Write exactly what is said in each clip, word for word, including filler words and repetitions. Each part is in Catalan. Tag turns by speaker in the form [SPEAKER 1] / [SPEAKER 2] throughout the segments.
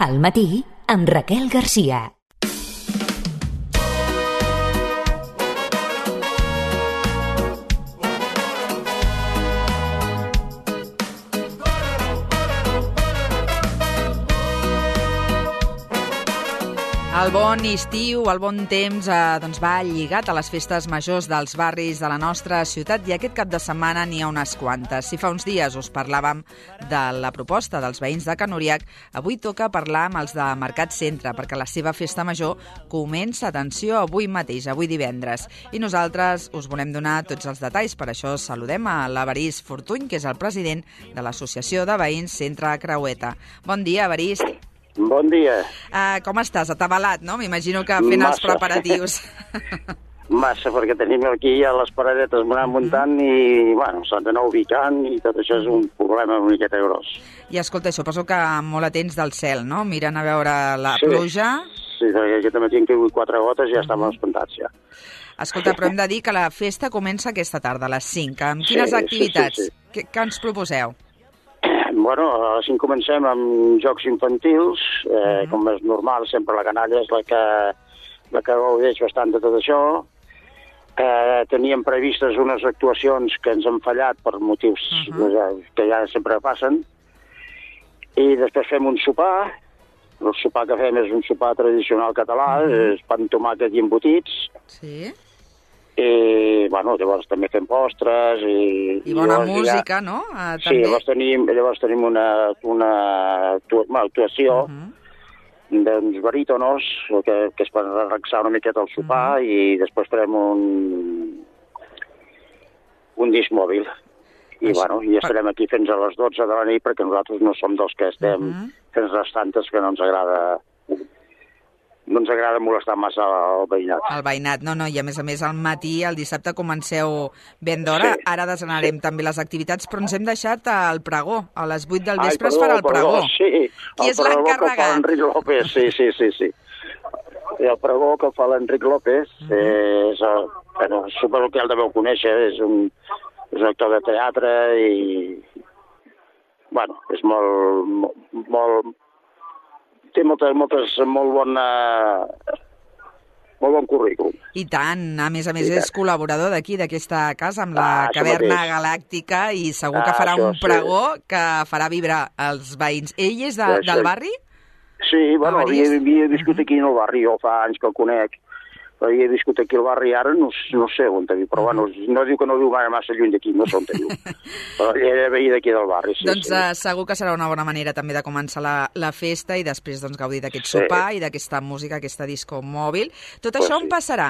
[SPEAKER 1] Al matí, amb Raquel Garcia.
[SPEAKER 2] El bon estiu, el bon temps, eh, doncs va lligat a les festes majors dels barris de la nostra ciutat i aquest cap de setmana n'hi ha unes quantes. Si fa uns dies us parlàvem de la proposta dels veïns de Can Uriach, avui toca parlar amb els de Mercat Centre, perquè la seva festa major comença, atenció, avui mateix, avui divendres. I nosaltres us volem donar tots els detalls, per això saludem a l'Evarist Fortuny, que és el president de l'Associació de Veïns Centre Creueta. Bon dia, Evarist.
[SPEAKER 3] Bon dia.
[SPEAKER 2] Uh, com estàs? Atabalat, no? M'imagino que fent
[SPEAKER 3] Massa.
[SPEAKER 2] els preparatius.
[SPEAKER 3] Massa, perquè tenim aquí ja les paradetes anant muntant i, bueno, s'han d'anar ubicant i tot això és un problema una miqueta gros.
[SPEAKER 2] I escolta, suposo que molt atents del cel, no? Miren a veure la
[SPEAKER 3] sí.
[SPEAKER 2] pluja.
[SPEAKER 3] Sí, aquest matí hem caigut quatre gotes i ja estàvem espantats, ja.
[SPEAKER 2] Escolta, però hem de dir que la festa comença aquesta tarda, a les cinc. Amb quines
[SPEAKER 3] sí,
[SPEAKER 2] activitats?
[SPEAKER 3] Sí, sí, sí.
[SPEAKER 2] Què, què ens proposeu?
[SPEAKER 3] Bueno, a les cinc comencem amb jocs infantils, eh, uh-huh. com és normal, sempre la canalla és la que, la que gaudeix bastant de tot això. Eh, teníem previstes unes actuacions que ens han fallat per motius uh-huh. que ja sempre passen. I després fem un sopar. El sopar que fem és un sopar tradicional català, uh-huh. és pa amb tomàquet i embotits.
[SPEAKER 2] Sí.
[SPEAKER 3] I, bueno, llavors també fem postres i...
[SPEAKER 2] I bona
[SPEAKER 3] i
[SPEAKER 2] música,
[SPEAKER 3] ja...
[SPEAKER 2] no? Uh,
[SPEAKER 3] sí, llavors tenim, llavors tenim una, una actuació uh-huh. d'uns barítonos que, que és per relaxar una miqueta el sopar uh-huh. i després farem un un disc mòbil. I, Això, bueno, i estarem aquí fins a les dotze de la nit perquè nosaltres no som dels que estem uh-huh. fins a les tantes que no ens agrada... no ens agrada molestar massa el veïnat.
[SPEAKER 2] El veïnat, no, no, i a més a més al matí, el dissabte comenceu ben d'hora, sí, ara desanarem sí. també les activitats, però ens hem deixat el pregó, a les vuit del vespre es farà el pregó.
[SPEAKER 3] pregó. Sí,
[SPEAKER 2] qui
[SPEAKER 3] el
[SPEAKER 2] és l'encarregat?
[SPEAKER 3] L'Enric López, sí, sí, sí, sí. I el pregó que fa l'Enric López uh-huh. és, el, bueno, suposo que el deveu conèixer, és un, és un actor de teatre i, bueno, és molt, molt, té moltes, moltes, molt bona, molt bon currículum.
[SPEAKER 2] I tant, a més a més I és tant. col·laborador d'aquí, d'aquesta casa, amb la ah, Caverna Galàctica, i segur que farà ah, un pregó sí. que farà vibrar els veïns. Ell és de, sí, del barri?
[SPEAKER 3] Sí, bueno, havia, havia viscut aquí en el barri, jo fa anys que el conec, havia viscut aquí al barri, ara no, no sé on te viu, però bueno, no diu que no viu massa lluny d'aquí, no sé on te viu. Però era veí d'aquí del barri, sí.
[SPEAKER 2] Doncs
[SPEAKER 3] sí.
[SPEAKER 2] Uh, segur que serà una bona manera també de començar la, la festa i després doncs, gaudir d'aquest sí. sopar i d'aquesta música, aquesta disco mòbil. Tot
[SPEAKER 3] pues
[SPEAKER 2] això
[SPEAKER 3] sí.
[SPEAKER 2] on passarà?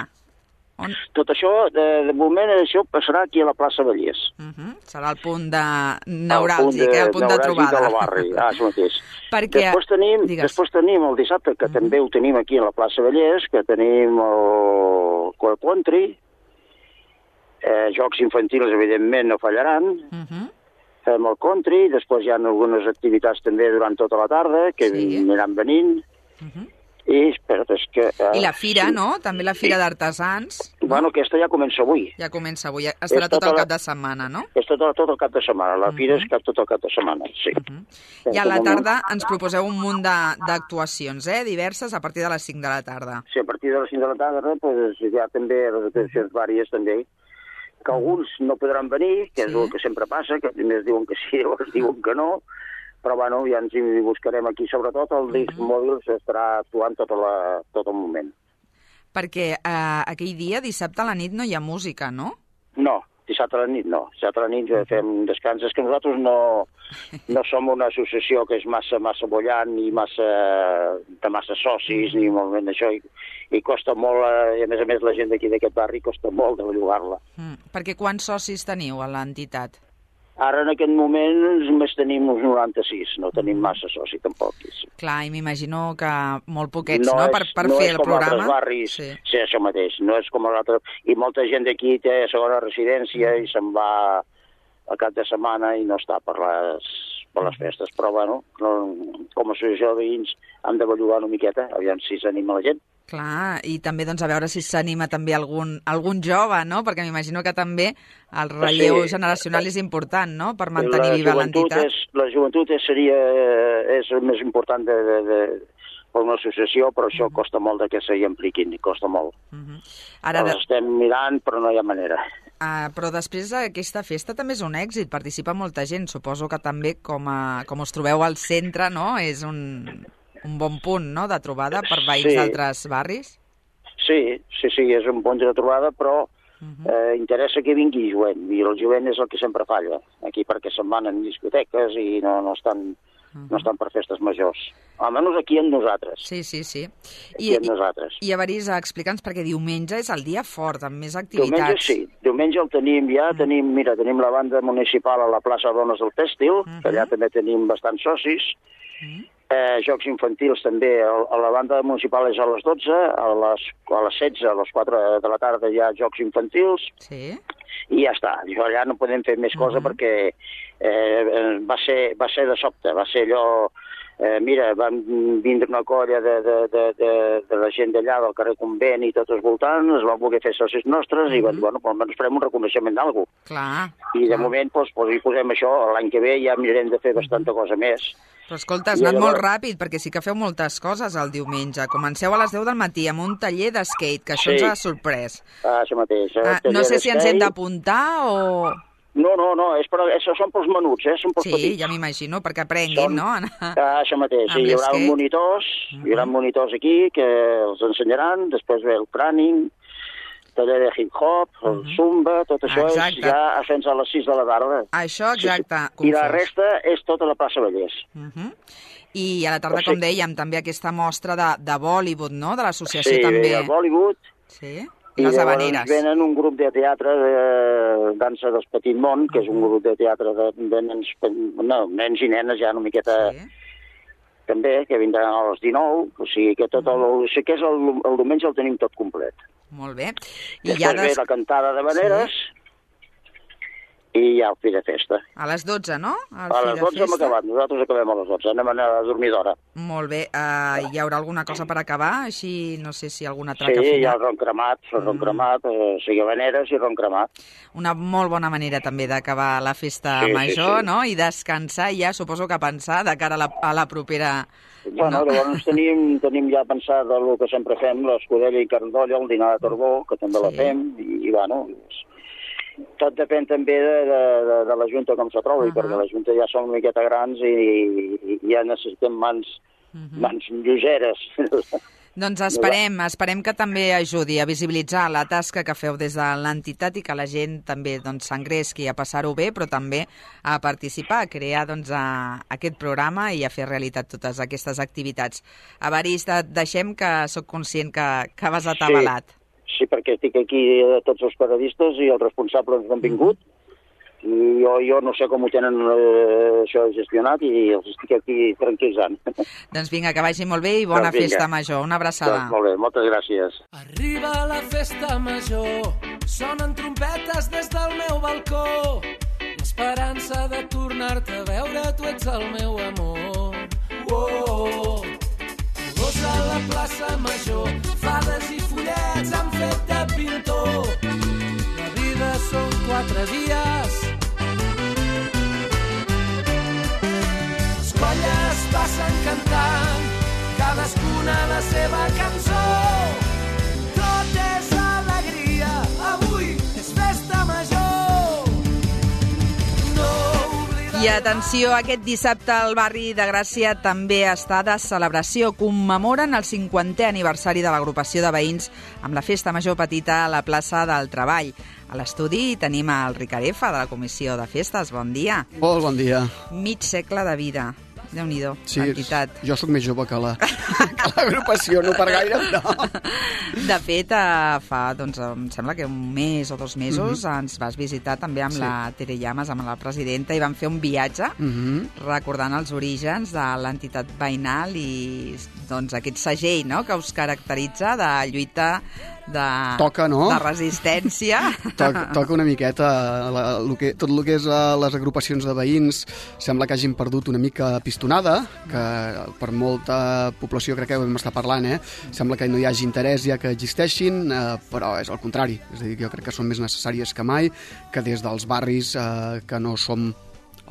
[SPEAKER 2] On...
[SPEAKER 3] Tot això, de, de moment, això passarà aquí a la plaça Vallès.
[SPEAKER 2] Uh-huh. Serà el punt de neuràlgic, el punt de, eh? el punt de trobada.
[SPEAKER 3] El barri, ah, això mateix.
[SPEAKER 2] Perquè...
[SPEAKER 3] Després tenim, després tenim el dissabte, que uh-huh. també ho tenim aquí a la plaça Vallès, que tenim el Coel Country, eh, jocs infantils, evidentment, no fallaran, uh-huh. fem el country, després hi ha algunes activitats també durant tota la tarda, que sí. aniran venint, uh-huh. I, espera't, és que... Uh,
[SPEAKER 2] I la fira, sí. no? També la fira sí. d'artesans.
[SPEAKER 3] Bueno, aquesta ja comença avui.
[SPEAKER 2] Ja comença avui, estarà tot el cap de setmana, no?
[SPEAKER 3] Estarà tot el cap de setmana, la uh-huh. fira és cap tot el cap de setmana, sí.
[SPEAKER 2] Uh-huh. I a la tarda ens proposeu un munt d'actuacions, eh? Diverses, a partir de les cinc de la tarda.
[SPEAKER 3] Sí, a partir de les cinc de la tarda, pues, hi ha també les actuacions uh-huh. vàries, també, que alguns no podran venir, que és sí. el que sempre passa, que primer diuen que sí, llavors diuen que no, però bueno, ja ens hi buscarem aquí. Sobretot el disc uh-huh. mòbil s'estarà actuant tot, la, tot el moment.
[SPEAKER 2] Perquè eh, aquell dia, dissabte a la nit, no hi ha música, no?
[SPEAKER 3] No, dissabte a la nit no. Dissabte a la nit ja fem descans. És que nosaltres no, no som una associació que és massa massa bollant ni massa, de massa socis, ni molt ben això, i, i costa molt, i a més a més la gent d'aquí d'aquest barri costa molt de bellugar-la.
[SPEAKER 2] Mm, perquè quants socis teniu a l'entitat?
[SPEAKER 3] Ara, en aquest moment, només tenim uns noranta-sis, no tenim massa soci, tampoc.
[SPEAKER 2] Clar, i m'imagino que molt poquets, no?,
[SPEAKER 3] no és,
[SPEAKER 2] per, per
[SPEAKER 3] no
[SPEAKER 2] fer el programa.
[SPEAKER 3] No és com altres barris, sí. sí, això mateix, no és com l'altre... I molta gent d'aquí té segona residència i se'n va al cap de setmana i no està per les, per les festes. Però, bueno, no, com a associació de veïns hem de bellugar una miqueta, aviam si s'anima la gent.
[SPEAKER 2] Clar, i també doncs, a veure si s'anima també algun, algun jove, no? Perquè m'imagino que també el relleu sí. generacional és important, no?, per mantenir la viva l'entitat.
[SPEAKER 3] És, la joventut és, seria, és el més important de, de, de, per una associació, però això uh -huh. costa molt de que s'hi impliquin, costa molt. Uh -huh. Ara de... estem mirant, però no hi ha manera.
[SPEAKER 2] Uh, però després aquesta festa també és un èxit, participa molta gent. Suposo que també, com, a, com us trobeu al centre, no?, és un... un bon punt, no?, de trobada per veïns sí. d'altres barris?
[SPEAKER 3] Sí, sí, sí, és un punt de trobada, però uh-huh. eh, interessa que vingui jovent, i el jovent és el que sempre falla, aquí perquè se'n van en discoteques i no, no, estan, uh-huh. no estan per festes majors. Almenys aquí amb nosaltres.
[SPEAKER 2] Sí, sí, sí.
[SPEAKER 3] Aquí I, amb nosaltres.
[SPEAKER 2] I, i a Varís, explica'ns, perquè diumenge és el dia fort, amb més activitats.
[SPEAKER 3] Diumenge sí, diumenge el tenim ja, uh-huh. tenim, mira, tenim la banda municipal a la plaça Dones del Tèxtil, uh-huh. que allà també tenim bastants socis, uh-huh. Eh, jocs infantils també, a la banda municipal és a les dotze, a les, a les setze, a les quatre de la tarda hi ha jocs infantils,
[SPEAKER 2] sí.
[SPEAKER 3] i ja està. Jo allà no podem fer més cosa uh-huh. perquè eh, va, ser, va ser de sobte, va ser allò... Eh, mira, van vindre una colla de, de, de, de, de la gent d'allà, del carrer Convent i tot els voltants, es van voler fer socis nostres uh-huh. i van dir, bueno, almenys farem un reconeixement d'algú.
[SPEAKER 2] Clar.
[SPEAKER 3] I de
[SPEAKER 2] clar.
[SPEAKER 3] moment, doncs, doncs, hi posem això, l'any que ve ja mirarem de fer bastanta cosa més.
[SPEAKER 2] Però escolta, has anat llavors... molt ràpid, perquè sí que feu moltes coses el diumenge. Comenceu a les deu del matí amb un taller de skate, que això sí. ens ha sorprès.
[SPEAKER 3] Ah, això mateix.
[SPEAKER 2] Ah, no sé si ens hem d'apuntar o...
[SPEAKER 3] No, no, no, és per, és, són pels menuts, eh? Són pels
[SPEAKER 2] sí,
[SPEAKER 3] petits.
[SPEAKER 2] Ja m'imagino, perquè aprenguin,
[SPEAKER 3] són...
[SPEAKER 2] no?
[SPEAKER 3] Ah, això mateix, sí, hi haurà monitors, uh-huh. hi haurà monitors aquí que els ensenyaran, després ve el cràning, taller de hip-hop, el uh-huh. zumba, tot això exacte. És ja fins a les sis de la tarda.
[SPEAKER 2] Això, exacte.
[SPEAKER 3] Sí, sí. I la resta és tota la plaça Vallès.
[SPEAKER 2] Uh-huh. I a la tarda, com dèiem, també aquesta mostra de, de Bollywood, no?, de l'associació
[SPEAKER 3] sí,
[SPEAKER 2] també.
[SPEAKER 3] Sí, de Bollywood.
[SPEAKER 2] Sí,
[SPEAKER 3] i
[SPEAKER 2] les
[SPEAKER 3] llavors
[SPEAKER 2] habaneres.
[SPEAKER 3] Venen un grup de teatre de dansa del Petit Món, que és un grup de teatre de, de nens, no, nens i nenes ja una miqueta... Sí. També, que vindran a les dinou, o sigui que tot el, o sigui que és el, el diumenge el tenim tot complet.
[SPEAKER 2] Molt bé.
[SPEAKER 3] I després ja des... ve la cantada de veneres sí. i ja el fi de festa.
[SPEAKER 2] A les dotze, no? El
[SPEAKER 3] a les dotze hem acabat, nosaltres acabem a les dotze, anem a dormir d'hora.
[SPEAKER 2] Molt bé. Uh, hi haurà alguna cosa per acabar? Així, no sé si alguna traca
[SPEAKER 3] sí,
[SPEAKER 2] final.
[SPEAKER 3] Sí, hi ha el ron cremat, el ron mm. cremat, eh, o sigui, veneres i ron cremat.
[SPEAKER 2] Una molt bona manera també d'acabar la festa sí, major, sí, sí. no? I descansar ja, suposo que pensar de cara a la, a la propera...
[SPEAKER 3] Bueno, no? Llavors tenim, tenim ja pensat el que sempre fem, l'escudella i carn d'olla, el dinar de Torbó, que també sí. la fem, i, i bueno... Tot depèn també de, de, de la Junta com se trobi, uh -huh. perquè la Junta ja són una miqueta grans i, i, i ja necessitem mans, uh -huh. mans lleugeres.
[SPEAKER 2] Doncs esperem, esperem que també ajudi a visibilitzar la tasca que feu des de l'entitat i que la gent també doncs, s'engresqui a passar-ho bé, però també a participar, a crear doncs, a, a aquest programa i a fer realitat totes aquestes activitats. Evarist, et deixem, que sóc conscient que, que vas atabalat.
[SPEAKER 3] Sí. Sí, perquè estic aquí eh, tots els periodistes i els responsables han vingut. I jo, jo no sé com ho tenen eh, això gestionat i els estic aquí tranquil·litzant.
[SPEAKER 2] Doncs vinga, que vagi molt bé i bona doncs festa major. Una abraçada.
[SPEAKER 3] Doncs molt bé, moltes gràcies.
[SPEAKER 4] Arriba la festa major, sonen trompetes des del meu balcó. L'esperança de tornar-te a veure, tu ets el meu amor. Oh, gos a la plaça major, fades i follets han fet de pintor. La vida són quatre dies. Les colles passen cantant, cadascuna la seva cançó. Tot és alegria, avui és festa major.
[SPEAKER 2] I atenció, aquest dissabte el barri de Gràcia també està de celebració. Commemoren el cinquantè aniversari de l'agrupació de veïns amb la festa major petita a la plaça del Treball. A l'estudi tenim el Ricarefa de la Comissió de Festes. Bon dia.
[SPEAKER 5] Molt bon dia.
[SPEAKER 2] Mig segle de vida. Déu-n'hi-do,
[SPEAKER 5] sí,
[SPEAKER 2] entitat.
[SPEAKER 5] Jo sóc més jove que la que l'agrupació, no per gaire, no.
[SPEAKER 2] De fet, fa, doncs, em sembla que un mes o dos mesos mm-hmm. ens vas visitar també amb sí. la Tere Llamas, amb la presidenta, i vam fer un viatge mm-hmm. recordant els orígens de l'entitat veïnal i doncs, aquest segell, no?, que us caracteritza de lluita de,
[SPEAKER 5] Toca, no?
[SPEAKER 2] de resistència.
[SPEAKER 5] Toca, toca una miqueta. La, lo que, tot el que és uh, les agrupacions de veïns sembla que hagin perdut una mica pistonada, que per molta població crec que ho vam estar parlant, eh? Sembla que no hi hagi interès ja que existeixin, eh, però és al contrari. És a dir, jo crec que són més necessàries que mai, que des dels barris eh, que no som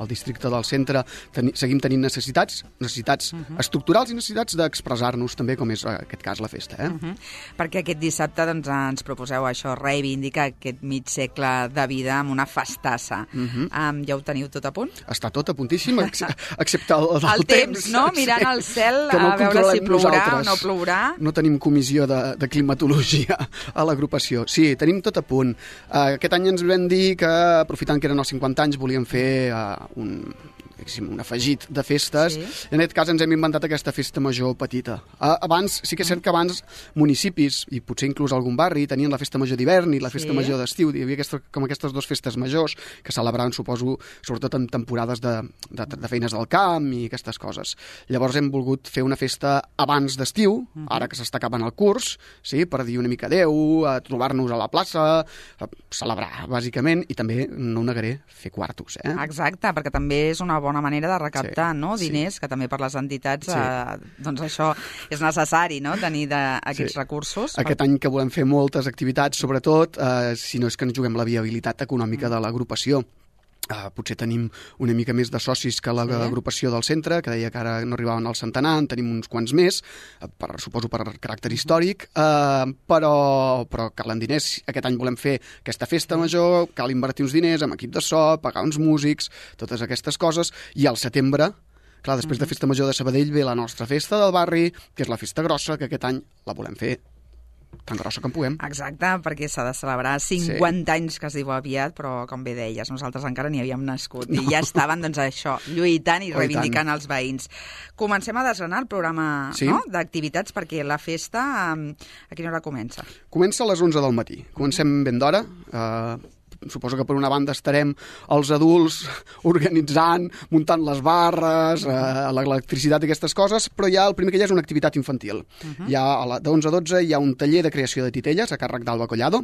[SPEAKER 5] al districte del centre teni, seguim tenint necessitats, necessitats uh-huh. estructurals i necessitats d'expressar-nos també, com és en aquest cas la festa. Eh?
[SPEAKER 2] Uh-huh. Perquè aquest dissabte doncs, ens proposeu això, reivindicar aquest mig segle de vida amb una festassa. Uh-huh. Um, ja ho teniu tot a punt?
[SPEAKER 5] Està tot a puntíssim, ex excepte el, el,
[SPEAKER 2] el temps, temps, no? Mirant al cel no a veure si plourà nosaltres. O no plourà.
[SPEAKER 5] No tenim comissió de, de climatologia a l'agrupació. Sí, tenim tot a punt. Uh, aquest any ens vam dir que, aprofitant que eren els cinquanta anys, volíem fer uh, un, un afegit de festes. Sí. En aquest cas ens hem inventat aquesta festa major petita. Abans, sí que és cert que abans municipis, i potser inclús algun barri, tenien la festa major d'hivern i la festa sí. major d'estiu. Hi havia aquesta, com aquestes dues festes majors que celebraven, suposo, sobretot en temporades de, de, de feines del camp i aquestes coses. Llavors hem volgut fer una festa abans d'estiu, uh-huh. ara que s'està acabant el curs, sí, per dir una mica adeu, a trobar-nos a la plaça, a celebrar, bàsicament, i també, no ho negaré, fer quartos. Eh?
[SPEAKER 2] Exacte, perquè també és una bona manera de recaptar sí, no? diners, sí. que també per les entitats sí. eh, doncs això és necessari, no? tenir de, aquests sí. recursos.
[SPEAKER 5] Aquest per... any que volem fer moltes activitats, sobretot, eh, si no és que ens juguem la viabilitat econòmica mm. de l'agrupació. Uh, potser tenim una mica més de socis que l'agrupació sí. del centre, que deia que ara no arribaven al centenar, en tenim uns quants més, uh, per, suposo per caràcter històric, uh, però, però calen diners. Aquest any volem fer aquesta festa major, cal invertir uns diners amb equip de so, pagar uns músics, totes aquestes coses, i al setembre, clar, després uh-huh. de Festa Major de Sabadell ve la nostra festa del barri, que és la festa grossa, que aquest any la volem fer tan grossa com puguem.
[SPEAKER 2] Exacte, perquè s'ha de celebrar cinquanta sí. anys, que es diu aviat, però com bé deies, nosaltres encara ni havíem nascut no. i ja estaven, doncs, això, lluitant i oh, reivindicant i els veïns. Comencem a desgranar el programa sí? no? d'activitats, perquè la festa, a quina hora comença?
[SPEAKER 5] Comença a les onze del matí. Comencem ben d'hora, eh... suposo que per una banda estarem els adults organitzant, muntant les barres, eh, l'electricitat i aquestes coses, però ja el primer que hi ha és una activitat infantil. Uh-huh. Hi ha de onze a dotze hi ha un taller de creació de titelles a càrrec d'Alba Collado.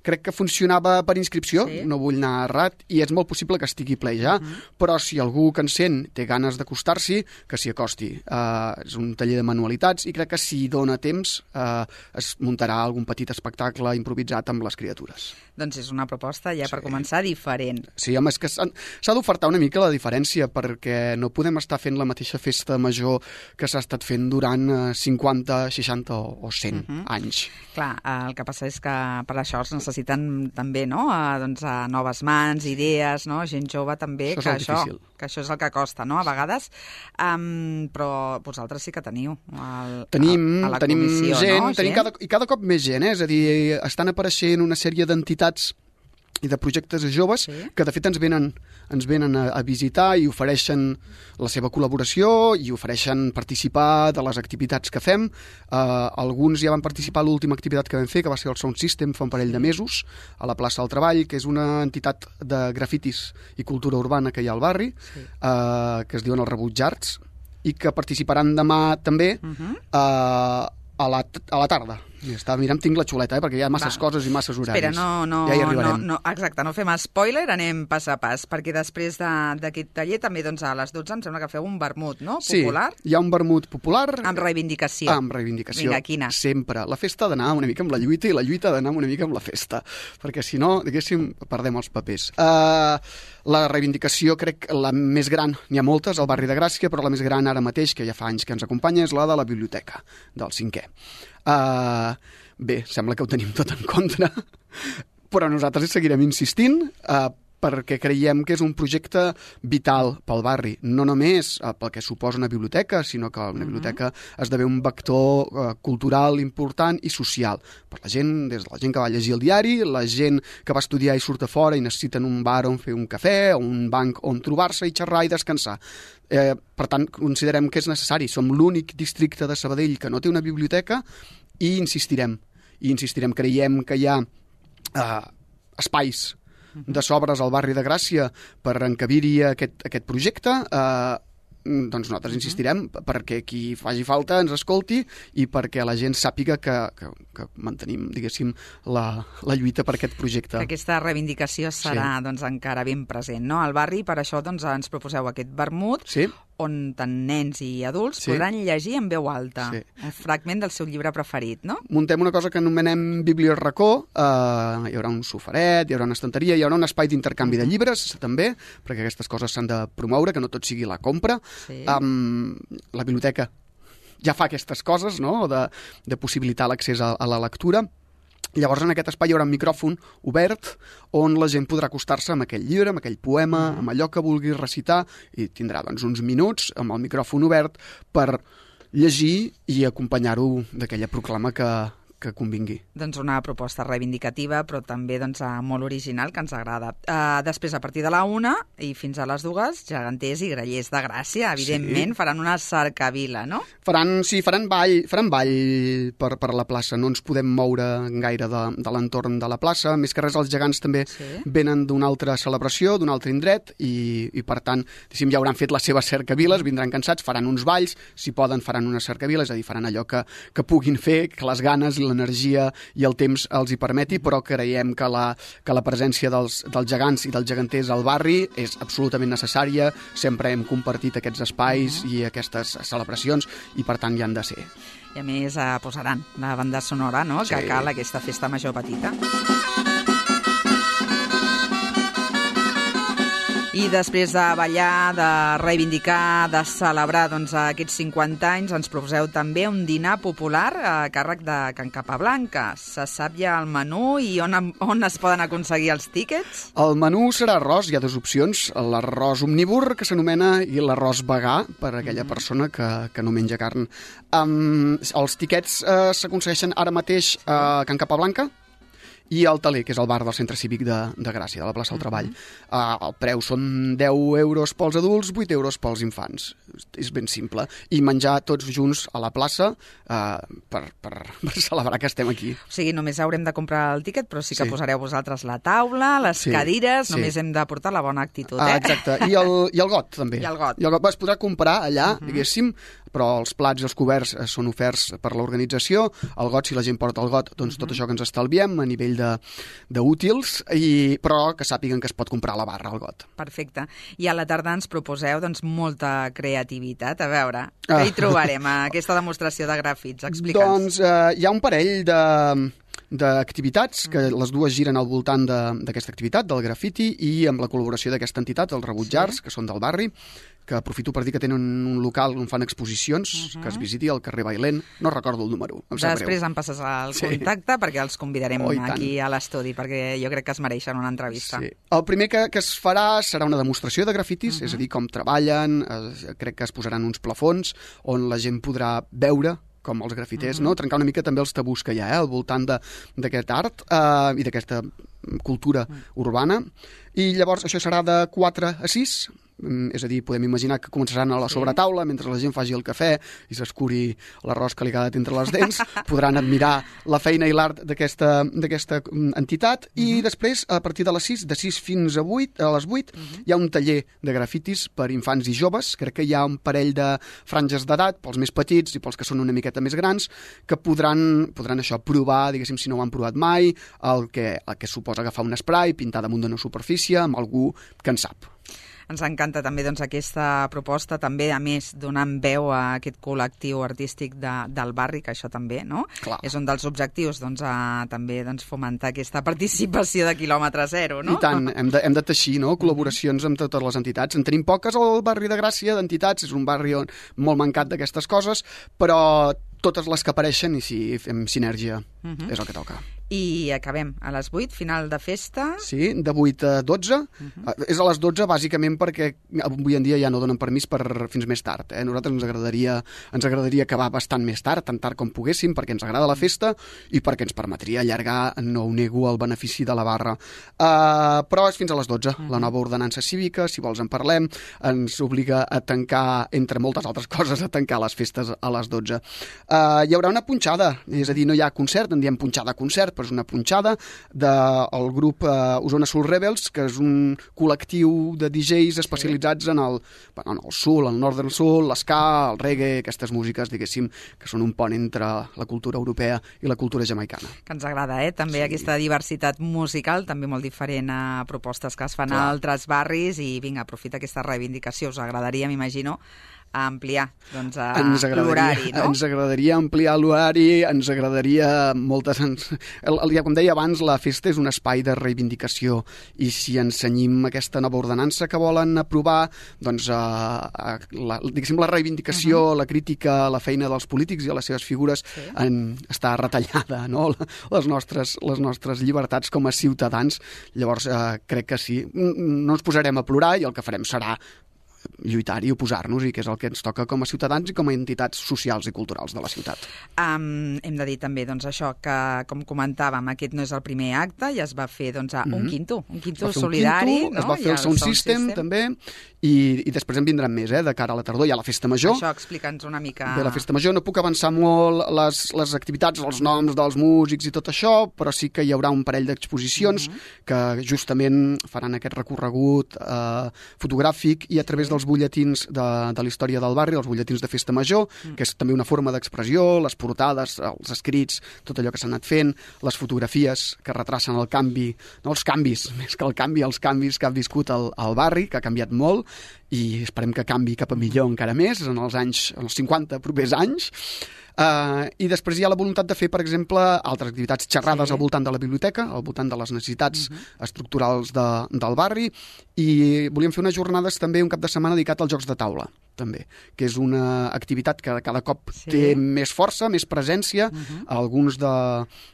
[SPEAKER 5] Crec que funcionava per inscripció, sí. no vull anar errat, i és molt possible que estigui ple ja, uh-huh. però si algú que en sent té ganes d'acostar-s'hi, que s'hi acosti. Eh, és un taller de manualitats i crec que si dona temps eh, es muntarà algun petit espectacle improvisat amb les criatures.
[SPEAKER 2] Doncs és una proposta ja sí. per començar diferent.
[SPEAKER 5] Sí, home, és que s'ha d'ofertar una mica la diferència, perquè no podem estar fent la mateixa festa major que s'ha estat fent durant cinquanta, seixanta o cent uh-huh. anys.
[SPEAKER 2] Clar, el que passa és que per això es necessiten també, no?, a, doncs, a noves mans, idees, no?, gent jove també,
[SPEAKER 5] això
[SPEAKER 2] que,
[SPEAKER 5] això,
[SPEAKER 2] que això és el que costa, no?, a vegades, um, però vosaltres sí que teniu el,
[SPEAKER 5] tenim,
[SPEAKER 2] a, a la
[SPEAKER 5] tenim
[SPEAKER 2] comissió,
[SPEAKER 5] gent,
[SPEAKER 2] no?
[SPEAKER 5] Tenim
[SPEAKER 2] gent?
[SPEAKER 5] cada, i cada cop més gent, eh? És a dir, estan apareixent una sèrie d'entitats i de projectes joves sí. que de fet ens venen, ens venen a, a visitar i ofereixen la seva col·laboració i ofereixen participar de les activitats que fem. Uh, alguns ja van participar a l'última activitat que vam fer, que va ser el Sound System fa un parell de mesos, a la plaça del Treball, que és una entitat de grafitis i cultura urbana que hi ha al barri, sí. uh, que es diuen els Rebutjats, i que participaran demà també uh-huh. uh, a, la, a la tarda. Estava mirant, tinc la xuleta, eh, perquè hi ha masses Va. coses i masses horaris.
[SPEAKER 2] Espera, no, no,
[SPEAKER 5] ja hi arribarem.
[SPEAKER 2] No, no, exacte, no fem spoiler, anem pas a pas, perquè després d'aquest de, taller també doncs, a les dotze em sembla que feu un vermut, no? Popular?
[SPEAKER 5] Sí, hi ha un vermut popular.
[SPEAKER 2] Amb reivindicació.
[SPEAKER 5] Amb reivindicació.
[SPEAKER 2] Vinga, quina?
[SPEAKER 5] Sempre. La festa ha d'anar una mica amb la lluita i la lluita ha d'anar una mica amb la festa, perquè si no, diguéssim, perdem els papers. Uh, la reivindicació, crec, la més gran, n'hi ha moltes al barri de Gràcia, però la més gran ara mateix, que ja fa anys que ens acompanya, és la de la biblioteca, del cinquè. Uh, bé, sembla que ho tenim tot en contra, però nosaltres seguirem insistint uh, perquè creiem que és un projecte vital pel barri, no només uh, pel que suposa una biblioteca, sinó que una biblioteca esdevé un vector uh, cultural important i social per la gent, des de la gent que va llegir el diari, la gent que va estudiar i surt a fora i necessiten un bar on fer un cafè o un banc on trobar-se i xerrar i descansar. Eh, per tant, considerem que és necessari. Som l'únic districte de Sabadell que no té una biblioteca i insistirem. I insistirem, creiem que hi ha eh, espais de sobres al barri de Gràcia per encabir-hi aquest, aquest projecte. Eh, doncs nosaltres insistirem perquè qui faci falta ens escolti i perquè la gent sàpiga que, que, que mantenim, diguéssim, la, la lluita per aquest projecte.
[SPEAKER 2] Que aquesta reivindicació serà
[SPEAKER 5] sí.
[SPEAKER 2] doncs, encara ben present, no? Al barri, per això doncs, ens proposeu aquest vermut, sí. on tant nens i adults sí. podran llegir en veu alta sí. un fragment del seu llibre preferit, no?
[SPEAKER 5] Muntem una cosa que anomenem Biblioracó, eh, hi haurà un sofaret, hi haurà una estanteria, hi haurà un espai d'intercanvi de llibres, també, perquè aquestes coses s'han de promoure, que no tot sigui la compra. Sí. Um, la biblioteca ja fa aquestes coses, no?, de, de possibilitar l'accés a, a la lectura. Llavors, en aquest espai hi haurà un micròfon obert on la gent podrà acostar-se amb aquell llibre, amb aquell poema, mm. amb allò que vulgui recitar, i tindrà doncs, uns minuts amb el micròfon obert per llegir i acompanyar-ho d'aquella proclama que, que convingui.
[SPEAKER 2] Doncs una proposta reivindicativa, però també doncs, molt original, que ens agrada. Uh, després, a partir de la una i fins a les dues, geganters i grallers de Gràcia, evidentment, sí. faran una cercavila, no?
[SPEAKER 5] Faran, sí, faran ball, faran ball per, per la plaça. No ens podem moure gaire de, de l'entorn de la plaça. Més que res, els gegants també sí. venen d'una altra celebració, d'un altre indret, i, i per tant, ja hauran fet les seves cercaviles, vindran cansats, faran uns balls, si poden faran una cercavila, és a dir, faran allò que, que puguin fer, que les ganes i l'energia i el temps els hi permeti, però creiem que la, que la presència dels, dels gegants i dels geganters al barri és absolutament necessària. Sempre hem compartit aquests espais i aquestes celebracions i, per tant, hi han de ser.
[SPEAKER 2] I, a més, eh, posaran la banda sonora, no?, sí. que cal aquesta festa major petita. I després de ballar, de reivindicar, de celebrar doncs, aquests cinquanta anys, ens proposeu també un dinar popular a càrrec de Can Capablanca. Se sap ja el menú i on, on es poden aconseguir els tíquets?
[SPEAKER 5] El menú serà arròs, hi ha dues opcions, l'arròs omnívor, que s'anomena, i l'arròs vegà, per a aquella mm-hmm. persona que, que no menja carn. Um, els tíquets uh, s'aconsegueixen ara mateix a Can Capablanca, i el Taler, que és el bar del Centre Cívic de, de Gràcia, de la plaça del Treball. Uh, el preu són deu euros pels adults, vuit euros pels infants. És ben simple. I menjar tots junts a la plaça uh, per, per, per celebrar que estem aquí.
[SPEAKER 2] O sigui, només haurem de comprar el tíquet, però sí que sí. posareu vosaltres la taula, les sí. cadires, només sí. hem de portar la bona actitud. Eh?
[SPEAKER 5] Ah, exacte. I el, I el got, també.
[SPEAKER 2] I el got.
[SPEAKER 5] I el got es podrà comprar allà, uh-huh. diguéssim, però els plats i els coberts són oferts per l'organització. El got, si la gent porta el got, doncs uh-huh. tot això que ens estalviem a nivell d'útils, però que sàpiguen que es pot comprar a la barra, el got.
[SPEAKER 2] Perfecte. I a la tarda ens proposeu doncs, molta creativitat. A veure, què ah. hi trobarem a aquesta demostració de grafits? Explica'ns.
[SPEAKER 5] Doncs eh, hi ha un parell de... d'activitats, que les dues giren al voltant d'aquesta activitat, del grafiti, i amb la col·laboració d'aquesta entitat, els Rebutjars, sí. que són del barri, que aprofito per dir que tenen un local on fan exposicions, uh-huh. que es visiti al carrer Bailén. No recordo el número, em sap
[SPEAKER 2] Després
[SPEAKER 5] greu.
[SPEAKER 2] em passes el sí. contacte perquè els convidarem oh, aquí a l'estudi, perquè jo crec que es mereixen una entrevista.
[SPEAKER 5] Sí. El primer que, que es farà serà una demostració de grafitis, uh-huh. és a dir, com treballen, eh, crec que es posaran uns plafons on la gent podrà veure com els grafiters, uh-huh. no? Trencar una mica també els tabús que hi ha eh, al voltant d'aquest art eh, i d'aquesta cultura uh-huh. urbana. I llavors això serà de quatre a sis, és a dir, podem imaginar que començaran a la sobretaula mentre la gent faci el cafè i s'escuri l'arròs que li ha quedat entre les dents. Podran admirar la feina i l'art d'aquesta entitat i uh-huh. després, a partir de les sis, de sis fins a vuit, a les vuit, uh-huh. hi ha un taller de grafitis per infants i joves. Crec que hi ha un parell de franges d'edat, pels més petits i pels que són una miqueta més grans, que podran, podran això provar, diguéssim, si no ho han provat mai, el que, el que suposa agafar un spray, pintar damunt d'una superfície amb algú que en sap.
[SPEAKER 2] Ens encanta també doncs, aquesta proposta, també, a més, donant veu a aquest col·lectiu artístic de, del barri, que això també no? és un dels objectius, doncs, a, també doncs, fomentar aquesta participació de quilòmetre zero. No?
[SPEAKER 5] I tant, hem de, hem de teixir no? col·laboracions amb totes les entitats. En tenim poques al barri de Gràcia d'entitats, és un barri on, molt mancat d'aquestes coses, però totes les que apareixen i si fem sinergia uh-huh. és el que toca.
[SPEAKER 2] I acabem a les vuit, final de festa.
[SPEAKER 5] Sí, de vuit a dotze. Uh-huh. És a les dotze bàsicament perquè avui en dia ja no donen permís per fins més tard. Eh? Nosaltres ens agradaria, ens agradaria acabar bastant més tard, tan tard com poguéssim, perquè ens agrada la festa i perquè ens permetria allargar, no ho nego, el benefici de la barra. Uh, però és fins a les dotze. Uh-huh. La nova ordenança cívica, si vols en parlem, ens obliga a tancar, entre moltes altres coses, a tancar les festes a les dotze. Uh, hi haurà una punxada, és a dir, no hi ha concert, en diem punxada concert, després una punxada del grup eh, Osona Soul Rebels, que és un col·lectiu de D Js especialitzats en el, bueno, en el soul, el northern soul, l'esca, el reggae, aquestes músiques, diguéssim, que són un pont entre la cultura europea i la cultura jamaicana.
[SPEAKER 2] Que ens agrada, eh? També sí. Aquesta diversitat musical, també molt diferent a propostes que es fan Clar. a altres barris, i vinga, aprofita aquesta reivindicació. Us agradaria, m'imagino, a ampliar doncs, l'horari, no?
[SPEAKER 5] Ens agradaria ampliar l'horari, ens agradaria moltes... Ens... El, el, com deia abans, la festa és un espai de reivindicació, i si ensenyim aquesta nova ordenança que volen aprovar, doncs a, a, la, diguéssim, la reivindicació, uh-huh. la crítica, la feina dels polítics i a les seves figures sí. en, està retallada, no? Les nostres, les nostres llibertats com a ciutadans. Llavors, eh, crec que sí. No ens posarem a plorar i el que farem serà lluitar i oposar-nos, i que és el que ens toca com a ciutadans i com a entitats socials i culturals de la ciutat.
[SPEAKER 2] Um, hem de dir també doncs, això, que com comentàvem, aquest no és el primer acte, ja es va fer doncs, un mm-hmm. quinto, un quinto solidari.
[SPEAKER 5] Un quinto,
[SPEAKER 2] no?
[SPEAKER 5] Es va fer el, el Sound, Sound System, System també, i, i després en vindran més, eh, de cara a la tardor. Hi ha la Festa Major.
[SPEAKER 2] Això, explica'ns una mica...
[SPEAKER 5] Bé, la Festa Major no puc avançar molt les, les activitats, els noms dels músics i tot això, però sí que hi haurà un parell d'exposicions mm-hmm. que justament faran aquest recorregut eh, fotogràfic i a través dels butlletins de, de la història del barri, els butlletins de Festa Major, mm. que és també una forma d'expressió, les portades, els escrits, tot allò que s'ha anat fent, les fotografies que retracen el canvi, no els canvis, més que el canvi, els canvis que ha viscut el, el barri, que ha canviat molt, i esperem que canvi cap a millor encara més en els anys, en els cinquanta propers anys. Uh, I després hi ha la voluntat de fer, per exemple, altres activitats, xerrades sí. al voltant de la biblioteca, al voltant de les necessitats uh-huh. estructurals de, del barri, i volíem fer unes jornades també un cap de setmana dedicat als jocs de taula, també, que és una activitat que cada cop sí. té més força, més presència. Uh-huh. Alguns de,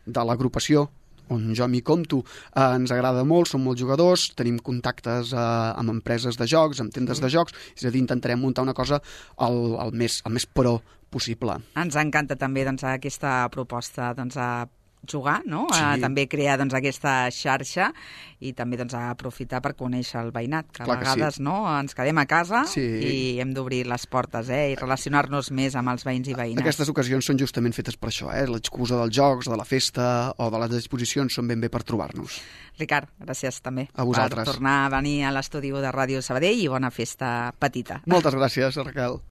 [SPEAKER 5] de l'agrupació on jo m'hi compto, eh, ens agrada molt, som molts jugadors, tenim contactes eh, amb empreses de jocs, amb tendes sí. de jocs, és a dir, intentarem muntar una cosa el, el, més, el més pro possible.
[SPEAKER 2] Ens encanta també doncs, aquesta proposta doncs, a jugar, no?
[SPEAKER 5] Sí.
[SPEAKER 2] A també crear doncs, aquesta xarxa i també doncs, a aprofitar per conèixer el veïnat, que
[SPEAKER 5] Clar
[SPEAKER 2] a vegades
[SPEAKER 5] sí.
[SPEAKER 2] no? ens quedem a casa
[SPEAKER 5] sí.
[SPEAKER 2] i hem d'obrir les portes eh? i relacionar-nos més amb els veïns i veïnes.
[SPEAKER 5] Aquestes ocasions són justament fetes per això, eh? L'excusa dels jocs, de la festa o de les exposicions són ben bé per trobar-nos.
[SPEAKER 2] Ricard, gràcies també
[SPEAKER 5] a vosaltres.
[SPEAKER 2] Per tornar a venir a l'estudi de Ràdio Sabadell, i bona festa petita.
[SPEAKER 5] Moltes gràcies, Raquel.